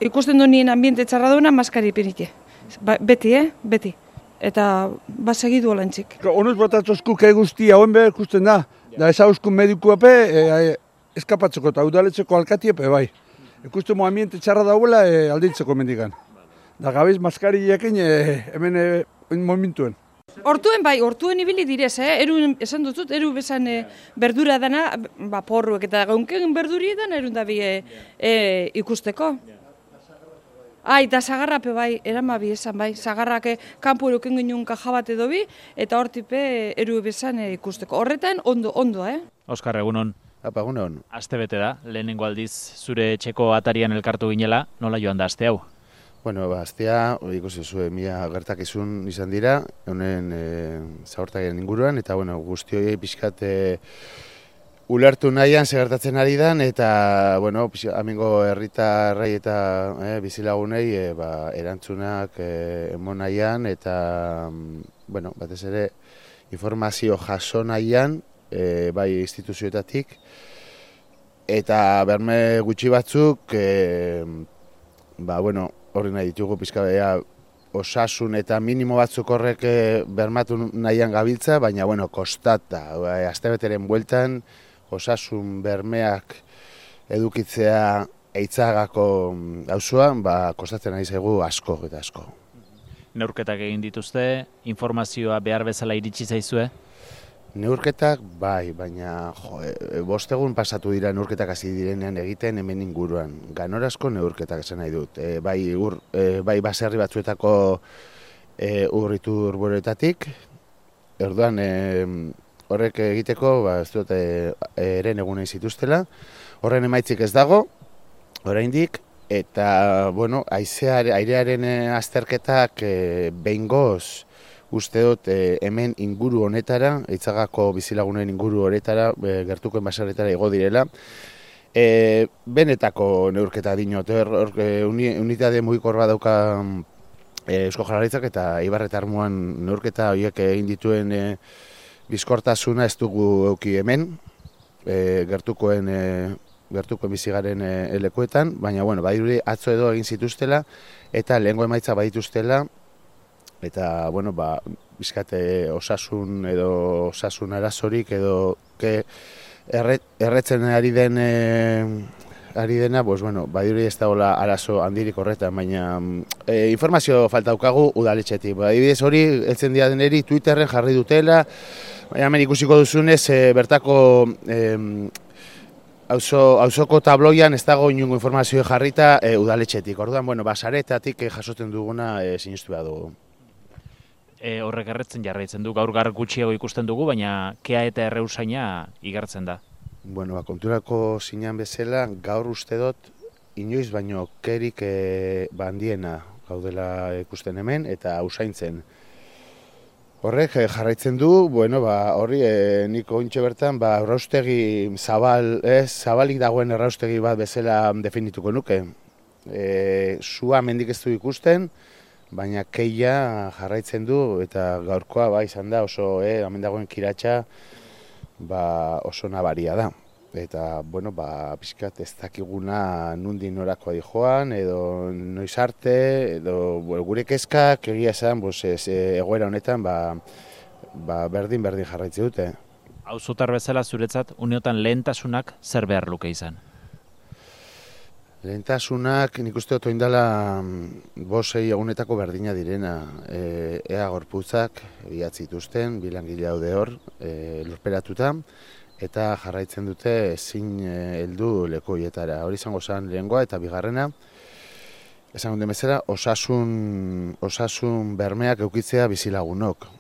ikusten du nien ambiente txarra duena, maskari ipinite. Beti, beti. Eta segidu olantzik. Onuz botatzozku ke guztia hoen behar ikusten da. Da ezauzkun medikuepe eskapatzeko eta udaletzeko alkatiepe bai. Ikusten mo ambiente txarra dauela alditzeko mendigan. Da gabiz maskari jakin hemen momentuen. Hortuen ibili direz, eru esan dutut, eru bezan berdura dana, porruek eta gaunken berduri edan erun da bi ikusteko. Eta zagarrape bai, eramabi esan bai, zagarrak kanpo eruken ginen kaja bat edo bi, eta hortipe eru bezan ikusteko. Horretan ondo, Oskar, egunon. Apa, egunon. Aste bete da, lehenengo aldiz zure etxeko atarian elkartu ginela, nola joan da aste hau? Bueno, astea, ikusi zuen, mila gertakizun izan dira, honen zabortakien inguruan, eta bueno, guztioi pixkat ulertu nahian segertatzen ari dan, eta bueno, amengo herritarrei eta bizilagunei erantzunak emon nahian, eta bueno, batez ere informazio jaso nahian, bai instituzioetatik, eta berme gutxi batzuk, bueno, horri nahi ditugu pizkabea osasun eta minimo batzuk horrek bermatu nahian gabiltza, baina bueno, kostata, astebeteren bueltan osasun bermeak edukitzea Eitzagako auzoan, kostatzen ari zaigu asko eta asko. Neurketak egin dituzte, informazioa behar bezala iritsi zaizue? Neurketak bai, baina 5 egun pasatu dira neurketak hasi direnean egiten hemen inguruan. Ganorazko neurketak esan nahi dut. Bai baserri batzuetako urritur boretatik. Orduan horrek egiteko ez dut eren egunen zituztela. Horren emaitzik ez dago, oraindik, eta bueno, airearen azterketak behingoz uste dut hemen inguru honetara, Eitzagako bizilagunen inguru honetara, gertukoen baserretara igo direla. Benetako neurketa dinot, unitate mugikor bat dauka Eusko Jaurlaritzak eta Eibar eta Armuan neurketa horiek egin dituen bizkortasuna ez dugu eduki hemen, gertukoen bizigaren lekuetan, baina bueno, badirudi atzo edo egin zituztela eta lehengo emaitza badituztela. Eta, bueno, bizkate osasun edo osasun arazorik edo erretzen ari dena, bueno, badirudi ez dagoela arazo handirik horretan, baina informazio falta daukagu udaletxetik. Adibidez hori, heltzen dira deneri Twitterren jarri dutela, baina hemen ikusiko duzunez, bertako auzoko tabloian ez dago inungo informazio jarrita udaletxetik. Orduan, bueno, saretatik jasotzen duguna sinistu behar dugu. Horrek erretzen jarraitzen du, gaur gutxiago ikusten dugu, baina kea eta erreusaina igartzen da. Bueno, konturako zinean bezala, gaur uste dut, inoiz baino kerik handiena gaudela ikusten hemen eta usaintzen. Horrek jarraitzen du, bueno, horri nik ointxe bertan, erraustegi zabalik dagoen erraustegi bat bezala definituko nuke. Sua mendik ez du ikusten, baina keia jarraitzen du eta gaurkoa izan da oso hemen dagoen kiratsa oso nabaria da. Eta, bueno, pixkat ez dakiguna nundin norakoa dijoan, edo noiz arte, edo gure kezkak egia esan egoera honetan berdin jarraitze dute. Auzotar bezala zuretzat, uneotan lehentasunak zer behar luke izan? Lehentasunak nik uste dut oindala 5 egunetako berdina direna. Ea gorputzak bilatzituzten, bilangile daude hor, lurperatuta, eta jarraitzen dute ezin heldu lekoietara. Hori izango zen lehengoa eta bigarrena, esan dut bezala, osasun bermeak eukitzea bizilagunok.